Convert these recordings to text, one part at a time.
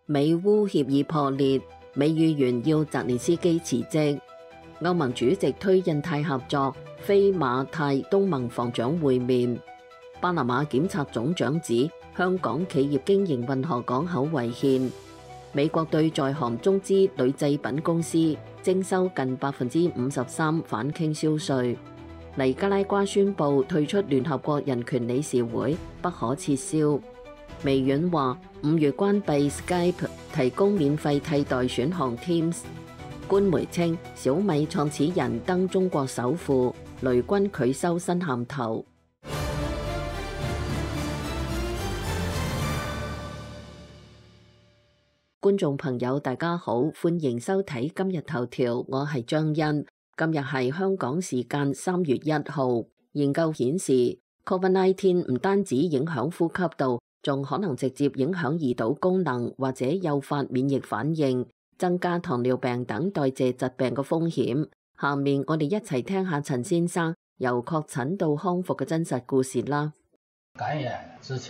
美烏協議破裂，美議員要澤連斯基辭職。歐盟主席推印太合作，非馬泰東盟防長會面。巴拿馬檢察總長指香港企業經營運河港口違憲。美國對在韓中資鋁製品公司徵收近53%反傾銷稅。尼加拉瓜宣布退出聯合國人權理事會，不可撤銷。微軟話5月關閉 Skype， 提供免費替代選項 Teams。官媒稱小米創始人登中國首富，雷軍拒收新銜頭。觀眾朋友大家好，歡迎收睇今日頭條，我係張欣。今日係香港時間3月1號。研究顯示 COVID-19 唔單止影響呼吸道，仲可能直接影響胰島功能或者誘發免疫反應，增加糖尿病等代謝疾病嘅風險。下面我哋一齊聽下陳先生由確診到康復嘅真實故事啦。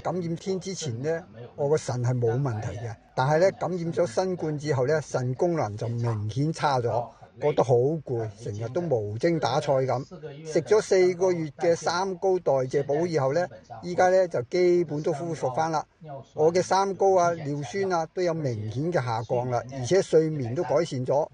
感染天之前呢，我個腎係冇問題嘅，但係咧感染咗新冠之後咧，腎功能就明顯差咗，覺得好攰，成日都無精打采咁。食咗4個月嘅三高代謝補以後咧，依家咧就基本都恢復翻啦。我嘅三高啊、尿酸啊都有明顯嘅下降啦，而且睡眠都改善咗，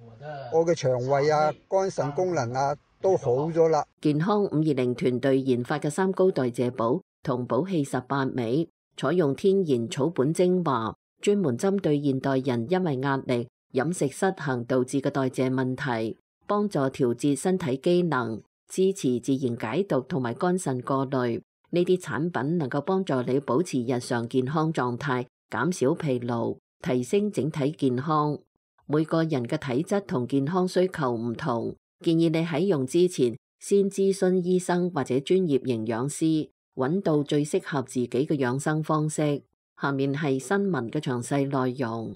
我嘅腸胃啊、肝腎功能啊都好咗啦。健康520團隊研發嘅三高代謝補同補氣18味，採用天然草本精華，專門針對現代人因為壓力、飲食失衡導致嘅代謝問題，幫助調節身體機能，支持自然解毒同埋肝腎過濾。呢啲產品能夠幫助你保持日常健康狀態，減少疲勞，提升整體健康。每個人嘅體質同健康需求唔同，建議你喺用之前先諮詢醫生或者專業營養師，揾到最適合自己嘅養生方式。下面係新聞嘅詳細內容。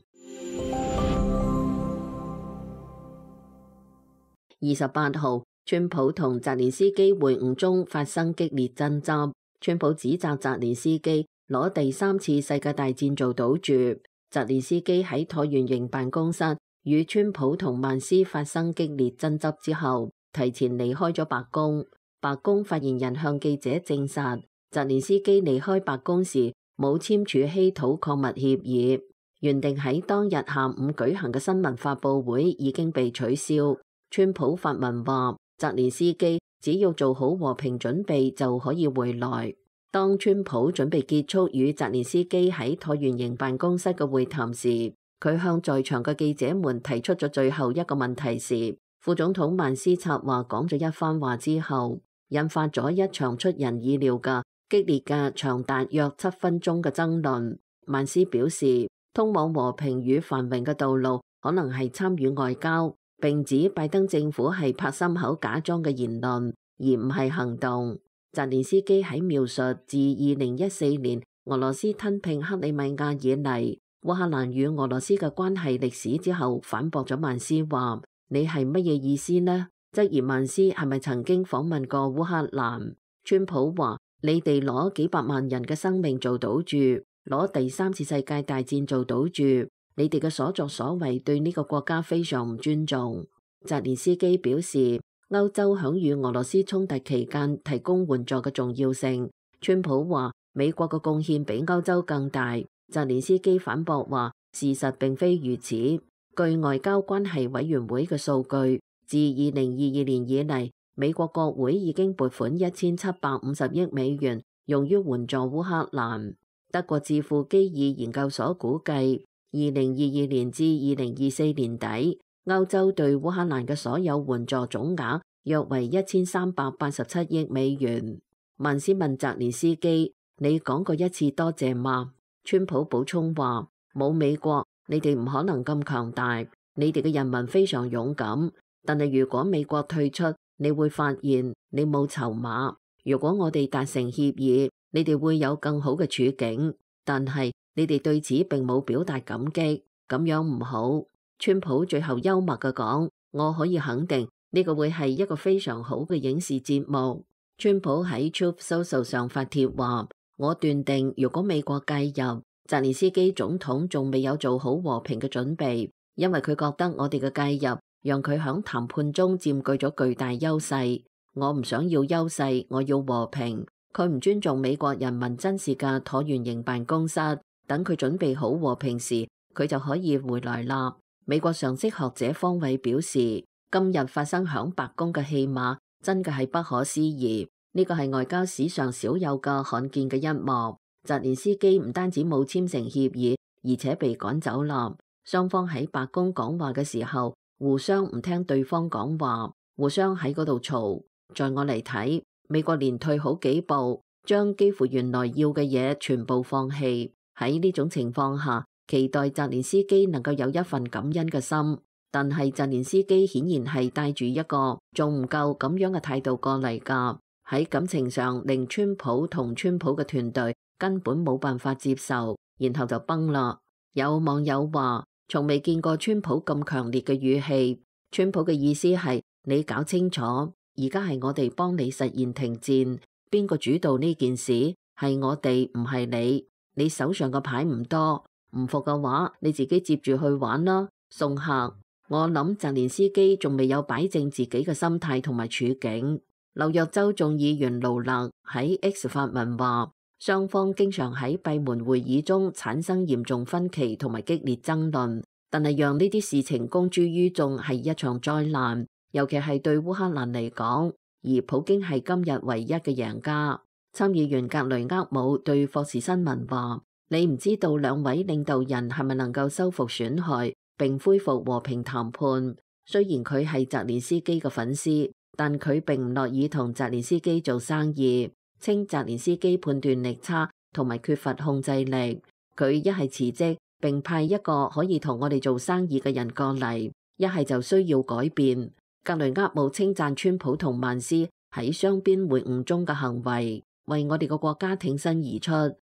28號，川普同澤連斯基會晤中發生激烈爭執，川普指責澤連斯基攞第3次世界大戰做賭注。澤連斯基喺橢圓形辦公室與川普同曼斯發生激烈爭執之後，提前離開咗白宮。白宮發言人向記者證實，澤連斯基離開白宮時冇簽署稀土礦物協議，原定喺當日下午舉行嘅新聞發佈會已經被取消。川普發文話，澤連斯基只要做好和平準備就可以回來。當川普準備結束與澤連斯基喺橢圓形辦公室嘅會談時，佢向在場嘅記者們提出咗最後一個問題時，副總統曼斯插話講咗一番話之後，引發咗一場出人意料嘅激烈嘅長達約7分鐘嘅爭論。曼斯表示，通往和平與繁榮嘅道路可能係參與外交，並指拜登政府係拍心口假裝嘅言論，而唔係行動。澤連斯基喺描述自2014年俄羅斯吞併克里米亞以嚟，烏克蘭與俄羅斯嘅關係歷史之後，反駁咗曼斯話：你係乜嘢意思呢？質疑曼斯係咪曾經訪問過烏克蘭？川普話：你哋攞幾百萬人嘅生命做賭注，攞第3次世界大戰做賭注。你哋嘅所作所為對呢個國家非常唔尊重。澤連斯基表示，歐洲響與俄羅斯衝突期間提供援助嘅重要性。川普話，美國嘅貢獻比歐洲更大。澤連斯基反駁話，事實並非如此。據外交關係委員會嘅數據，自2022年以嚟，美國國會已經撥款1750億美元用於援助烏克蘭。德國智庫基爾研究所估計，2022年至2024年底，歐洲對烏克蘭嘅所有援助總額約為1387億美元。曼斯問澤連斯基：你講過一次多謝嗎？川普補充話：冇美國，你哋唔可能咁強大。你哋嘅人民非常勇敢，但係如果美國退出，你會發現你冇籌碼。如果我哋達成協議，你哋會有更好嘅處境，但係你哋對此並冇表達感激，咁樣唔好。川普最後幽默嘅講：我可以肯定呢個會係一個非常好嘅影視節目。川普喺 Truth Social 上發帖話：我斷定如果美國介入，澤連斯基總統仲未有做好和平嘅準備，因為佢覺得我哋嘅介入讓佢響談判中佔據咗巨大優勢。我唔想要優勢，我要和平。佢唔尊重美國人民真實嘅橢圓形辦公室，等佢準備好和平時，佢就可以回來啦。美國常識學者方偉表示，今日發生響白宮嘅戲碼真嘅係不可思議，呢個係外交史上少有嘅罕見嘅一幕。澤連斯基唔單止冇簽成協議，而且被趕走啦。雙方喺白宮講話嘅時候，互相唔聽對方講話，互相喺嗰度嘈。在我嚟睇，美國連退好幾步，將幾乎原來要嘅嘢全部放棄。喺呢種情況下，期待澤連斯基能夠有一份感恩嘅心，但係澤連斯基顯然係帶住一個仲唔夠咁樣嘅態度過嚟㗎。喺感情上，令川普同川普嘅團隊根本冇辦法接受，然後就崩啦。有網友話，從未見過川普咁強烈嘅語氣。川普嘅意思係，你搞清楚，而家係我哋幫你實現停戰，邊個主導呢件事？係我哋，唔係你。你手上嘅牌唔多，唔服嘅話，你自己接住去玩啦，送客。我諗澤連斯基仲未有擺正自己嘅心態同埋處境。紐約州眾議員盧勒喺 X 發文話，雙方經常喺閉門會議中產生嚴重分歧同埋激烈爭論，但係讓呢啲事情公諸於眾係一場災難，尤其係對烏克蘭嚟講，而普京係今日唯一嘅贏家。參議員格雷厄姆對霍士新聞話，你唔知道兩位領導人係咪能夠修復損害並恢復和平談判。雖然佢係澤連斯基嘅粉絲，但佢並唔樂意同澤連斯基做生意，稱澤連斯基判斷力差同埋缺乏控制力。佢一係辭職並派一個可以同我哋做生意嘅人過嚟，一係就需要改變。格雷厄姆稱讚川普同曼斯喺雙邊會晤中嘅行為，為我哋個國家挺身而出，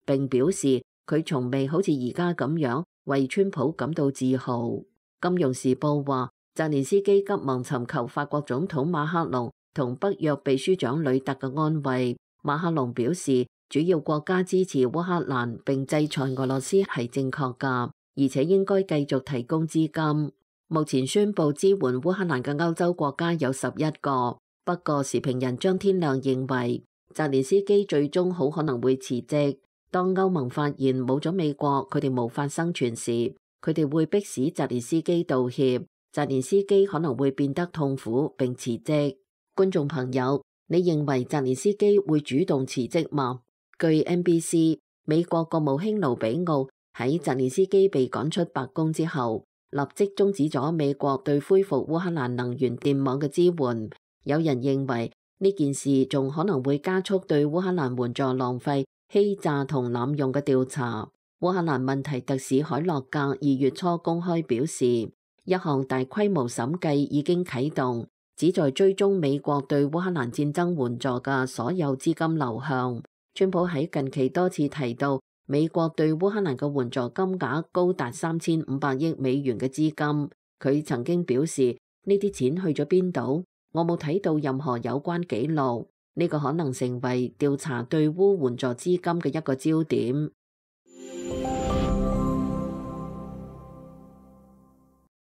並表示佢從未好似而家咁樣為川普感到自豪。金融時報話，澤連斯基急忙尋求法國總統馬克龍同北約秘書長呂特嘅安慰。馬克龍表示，主要國家支持烏克蘭並制裁俄羅斯係正確㗎，而且應該繼續提供資金。目前宣布支援烏克蘭嘅歐洲國家有11個，不過時評人張天亮認為，澤連斯基最終好可能會辭職。當歐盟發現冇咗美國，佢哋無法生存時，佢哋會迫使澤連斯基道歉。澤連斯基可能會變得痛苦並辭職。觀眾朋友，你認為澤連斯基會主動辭職嗎？據 NBC， 美國國務卿盧比奧喺澤連斯基被趕出白宮之後，立即終止咗美國對恢復烏克蘭能源電網嘅支援。有人認為呢件事仲可能會加速對烏克蘭援助浪費、欺詐同濫用嘅調查。烏克蘭問題特使海洛格2月初公開表示，一項大規模審計已經啟動，旨在追蹤美國對烏克蘭戰爭援助嘅所有資金流向。川普喺近期多次提到，美國對烏克蘭嘅援助金額高達3500億美元嘅資金。佢曾經表示，呢啲錢去咗邊度？我冇睇到任何有關記錄。呢個可能成為調查對烏援助資金嘅一個焦點。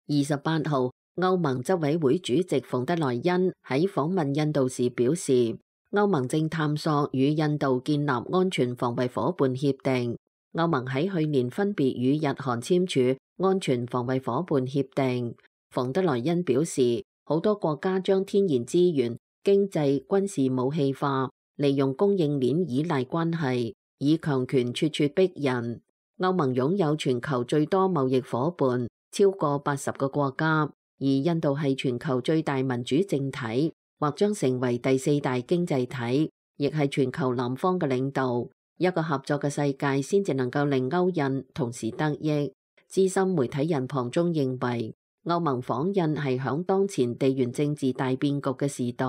28號，歐盟執委會主席馮德萊恩喺訪問印度時表示，歐盟正探索與印度建立安全防衛夥伴協定。歐盟喺去年分別與日韓簽署安全防衛夥伴協定。馮德萊恩表示，好多國家將天然資源、經濟、軍事武器化，利用供應鏈依賴關係，以強權咄咄逼人。歐盟擁有全球最多貿易夥伴，超過80個國家，而印度係全球最大民主政體，或將成為第4大經濟體，亦係全球南方嘅領導。一個合作嘅世界先至能夠令歐印同時得益。資深媒體人龐中認為，歐盟訪印係響當前地緣政治大變局嘅時代，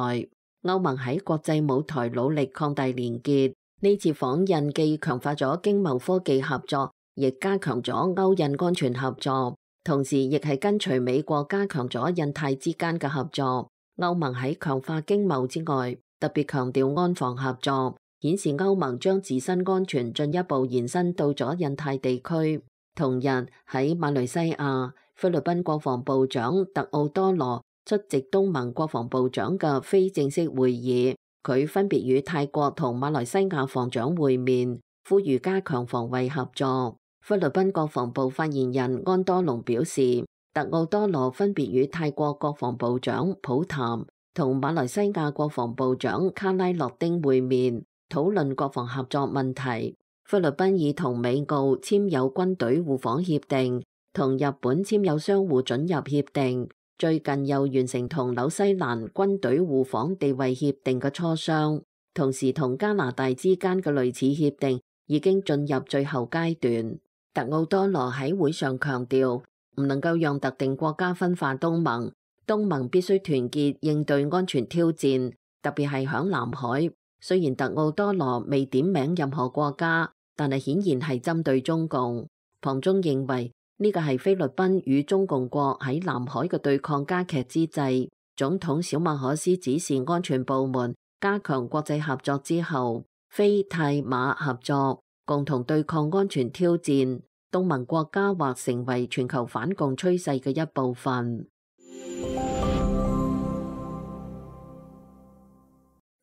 歐盟喺國際舞台努力擴大連結。呢次訪印既強化咗經貿科技合作，亦加強咗歐印安全合作，同時亦係跟隨美國加強咗印太之間嘅合作。歐盟喺強化經貿之外，特別強調安防合作，顯示歐盟將自身安全進一步延伸到咗印太地區。同日喺馬來西亞，菲律賓國防部長特奧多羅出席東盟國防部長嘅非正式會議，佢分別與泰國同馬來西亞防長會面，呼籲加強防衛合作。菲律賓國防部發言人安多龍表示，特奧多羅分別與泰國國防部長普譚同馬來西亞國防部長卡拉諾丁會面，討論國防合作問題。菲律賓已同美澳簽有軍隊互訪協定，同日本簽有相互准入協定，最近又完成同紐西蘭軍隊互訪地位協定嘅磋商，同時同加拿大之間嘅類似協定已經進入最後階段。特奧多羅喺會上強調，唔能夠讓特定國家分化東盟，東盟必須團結應對安全挑戰，特別係響南海。雖然特奧多羅未點名任何國家，但係顯然係針對中共。龐中認為呢個係菲律賓與中共國喺南海嘅對抗加劇之際，總統小馬可斯指示安全部門加強國際合作之後，菲泰馬合作，共同對抗安全挑戰，東盟國家或成為全球反共趨勢嘅一部分。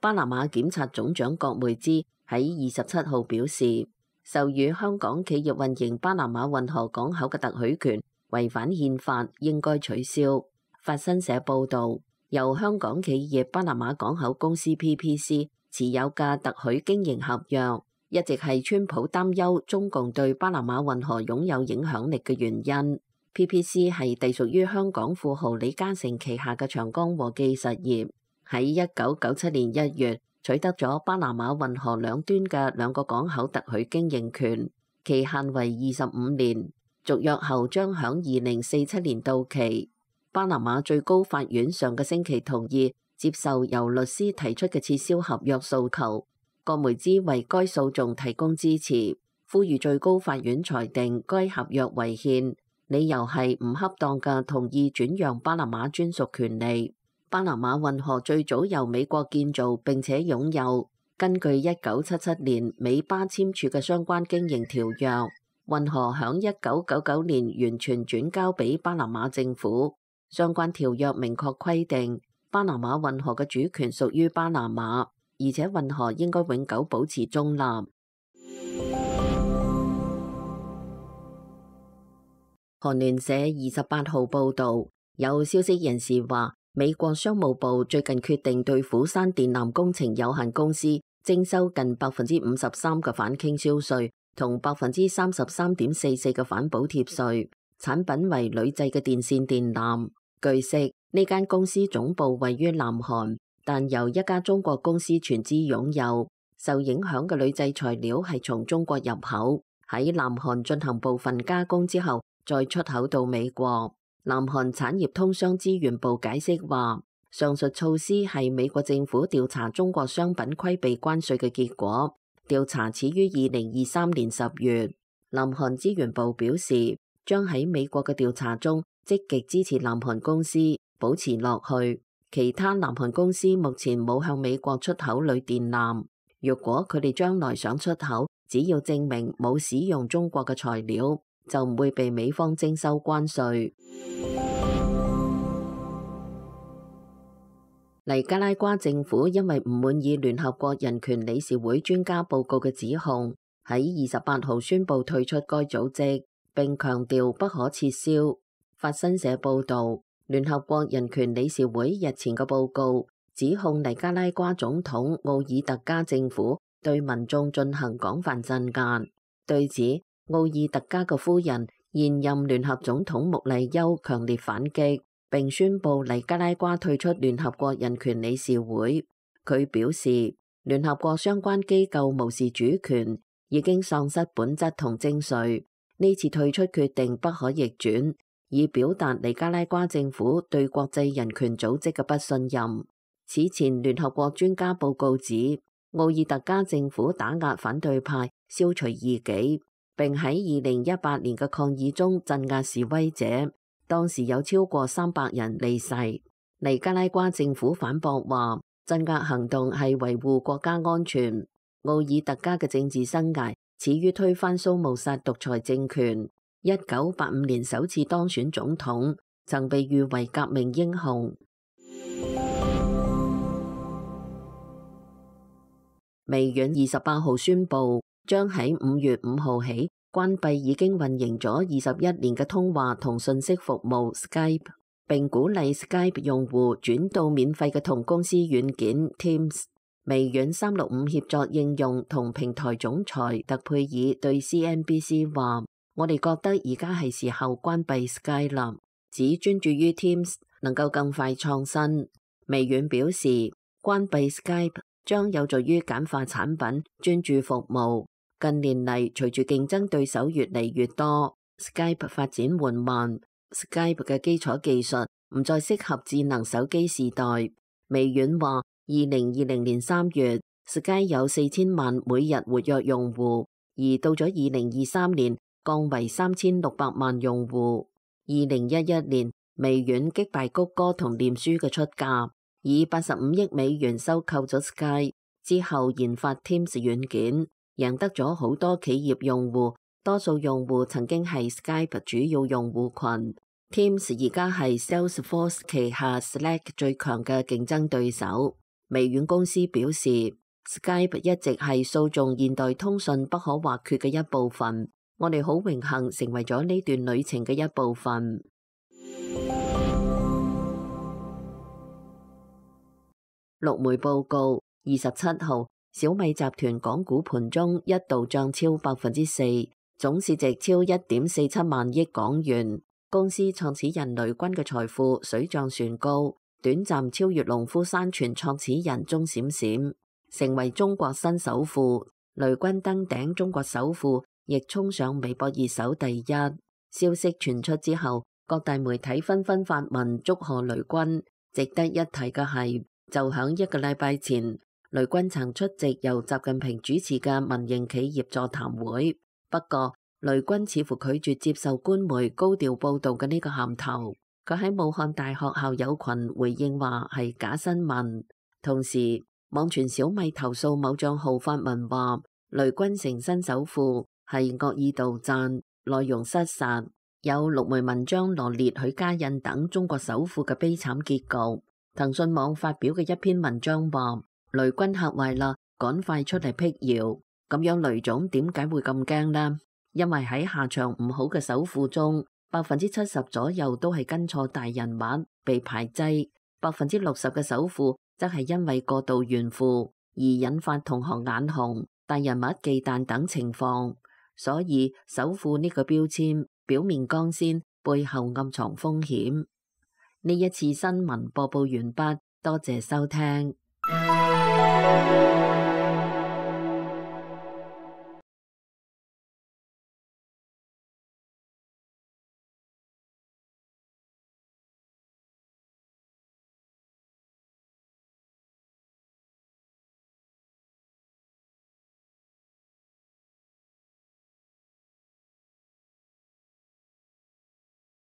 巴拿馬檢察總長郭梅茲喺27號表示，授予香港企業運營巴拿馬運河港口嘅特許權違反憲法，應該取消。法新社報導，由香港企業巴拿馬港口公司 PPC 持有嘅特許經營合約，一直係川普擔憂中共對巴拿馬運河擁有影響力嘅原因。PPC 係隸屬於香港富豪李嘉誠旗下嘅長江和記實業。喺1997年1月取得咗巴拿馬運河兩端嘅兩個港口特許經營權，期限為25年，續約後將響2047年到期。巴拿馬最高法院上個星期同意接受由律師提出嘅撤銷合約訴求，郭梅茲為該訴訟提供支持，呼籲最高法院裁定該合約違憲，理由係唔恰當嘅同意轉讓巴拿馬專屬權利。巴拿馬運河最早由美國建造並且擁有，根據1977年美巴簽署嘅相關經營條約，運河響1999年完全轉交俾巴拿馬政府。相關條約明確規定，巴拿馬運河嘅主權屬於巴拿馬，而且運河應該永久保持中立。韓聯社28號報導，有消息人士話，美國商務部最近決定對釜山電纜工程有限公司徵收近53%嘅反傾銷稅同33.44%嘅反補貼稅，產品為鋁製嘅電線電纜。據悉，呢間公司總部位於南韓，但由一家中國公司全資擁有。受影響嘅鋁製材料係從中國入口，喺南韓進行部分加工之後，再出口到美國。南韓產業通商資源部解釋話，上述措施係美國政府調查中國商品規避關稅嘅結果。調查始於2023年10月。南韓資源部表示，將喺美國嘅調查中積極支持南韓公司保持落去。其他南韓公司目前冇向美國出口鋁電纜。若果佢哋將來想出口，只要證明冇使用中國嘅材料，就唔會被美方徵收關稅。尼加拉瓜政府因為唔滿意聯合國人權理事會專家報告嘅指控，喺28號宣布退出該組織，並強調不可撤銷。法新社報導，聯合國人權理事會日前嘅報告指控尼加拉瓜總統奧爾特加政府對民眾進行廣泛鎮壓。對此，奧爾特加嘅夫人現任聯合總統穆麗優強烈反擊，並宣布尼加拉瓜退出聯合國人權理事會。佢表示，聯合國相關機構無視主權，已經喪失本質同精髓。呢次退出決定不可逆轉，以表達尼加拉瓜政府對國際人權組織嘅不信任。此前聯合國專家報告指，奧爾特加政府打壓反對派，消除異己，並喺2018年嘅抗議中鎮壓示威者。當時有超過300人離世。尼加拉瓜政府反駁話，鎮壓行動係維護國家安全。奧爾特加嘅政治生涯始於推翻蘇穆薩獨裁政權，1985年首次當選總統，曾被譽為革命英雄。微軟28號宣布，將喺5月5號起關閉已經運營咗21年嘅通話同信息服務 Skype， 並鼓勵 Skype 用戶轉到免費嘅同公司軟件 Teams。微軟365協作應用同平台總裁特佩爾對 CNBC 話：我哋覺得而家係時候關閉 Skype 啦，只專注於 Teams 能夠更快創新。微軟表示，關閉 Skype 將有助於簡化產品，專注服務。近年嚟，隨住競爭對手越嚟越多， Skype 發展緩慢。Skype 嘅基礎技術唔再適合智能手機時代。微軟話，2020年3月 Skype 有4000萬每日活躍用戶，而到咗2023年降為3600萬用戶。2011年，微軟擊敗谷歌同臉書嘅出價，以85億美元收購咗 Skype， 之後研發 Teams 軟件，贏得咗好多企業用戶，多數用戶曾經係 Skype 主要用戶群。Teams 而家係 Salesforce 旗下 Slack 最強嘅競爭對手。微軟公司表示， Skype 一直係訴訟現代通訊不可或缺嘅一部分，我哋好榮幸成為咗呢段旅程嘅一部分。陸媒報告，27號小米集團港股盤中一度漲超 4%， 總市值超 1.47 萬億港元。公司創始人雷軍嘅財富水漲船高，短暫超越農夫山泉創始人鐘閃閃，成為中國新首富。雷軍登頂中國首富，亦衝上微博熱搜第一。消息傳出之後，各大媒體紛紛發文祝賀雷軍。值得一提嘅係，就響1個禮拜前，雷軍曾出席由習近平主持嘅民營企業座談會，不過雷軍似乎拒絕接受官媒高調報道嘅呢個銜頭。佢喺武漢大學校友群回應話係假新聞。同時，網傳小米投訴某賬號發文話雷軍成新首富係惡意盜讚，內容失實。有陸媒文章羅列許家印等中國首富嘅悲慘結局。騰訊網發表嘅一篇文章話，雷軍嚇壞啦，趕快出嚟辟謠。咁樣雷總點解會咁驚呢？因為喺下場唔好嘅首富中，70%左右都係跟錯大人物被排擠，60%嘅首富則係因為過度炫富而引發同行眼紅、大人物忌憚等情況。所以首富呢個標籤表面光鮮，背後暗藏風險。呢一次新聞播報完畢，多謝收聽。